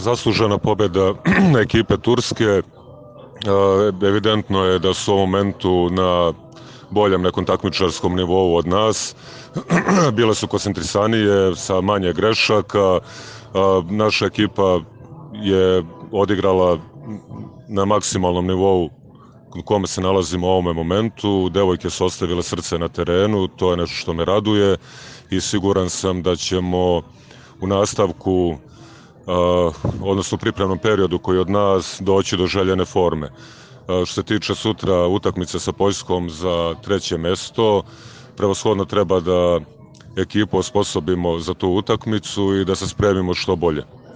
Zaslužena pobjeda ekipe Turske. Evidentno je da su u ovom momentu na boljem nekom takmičarskom nivou od nas. Bile su koncentrisanije sa manje grešaka. Naša ekipa je odigrala na maksimalnom nivou u kome se nalazimo u ovome momentu. Devojke su ostavile srce na terenu, to je nešto što me raduje i siguran sam da ćemo u nastavku, odnosno u pripremnom periodu koji od nas, doći do željene forme. Što se tiče sutra utakmice sa Poljskom za 3. mesto, prevashodno treba da ekipu osposobimo za tu utakmicu i da se spremimo što bolje.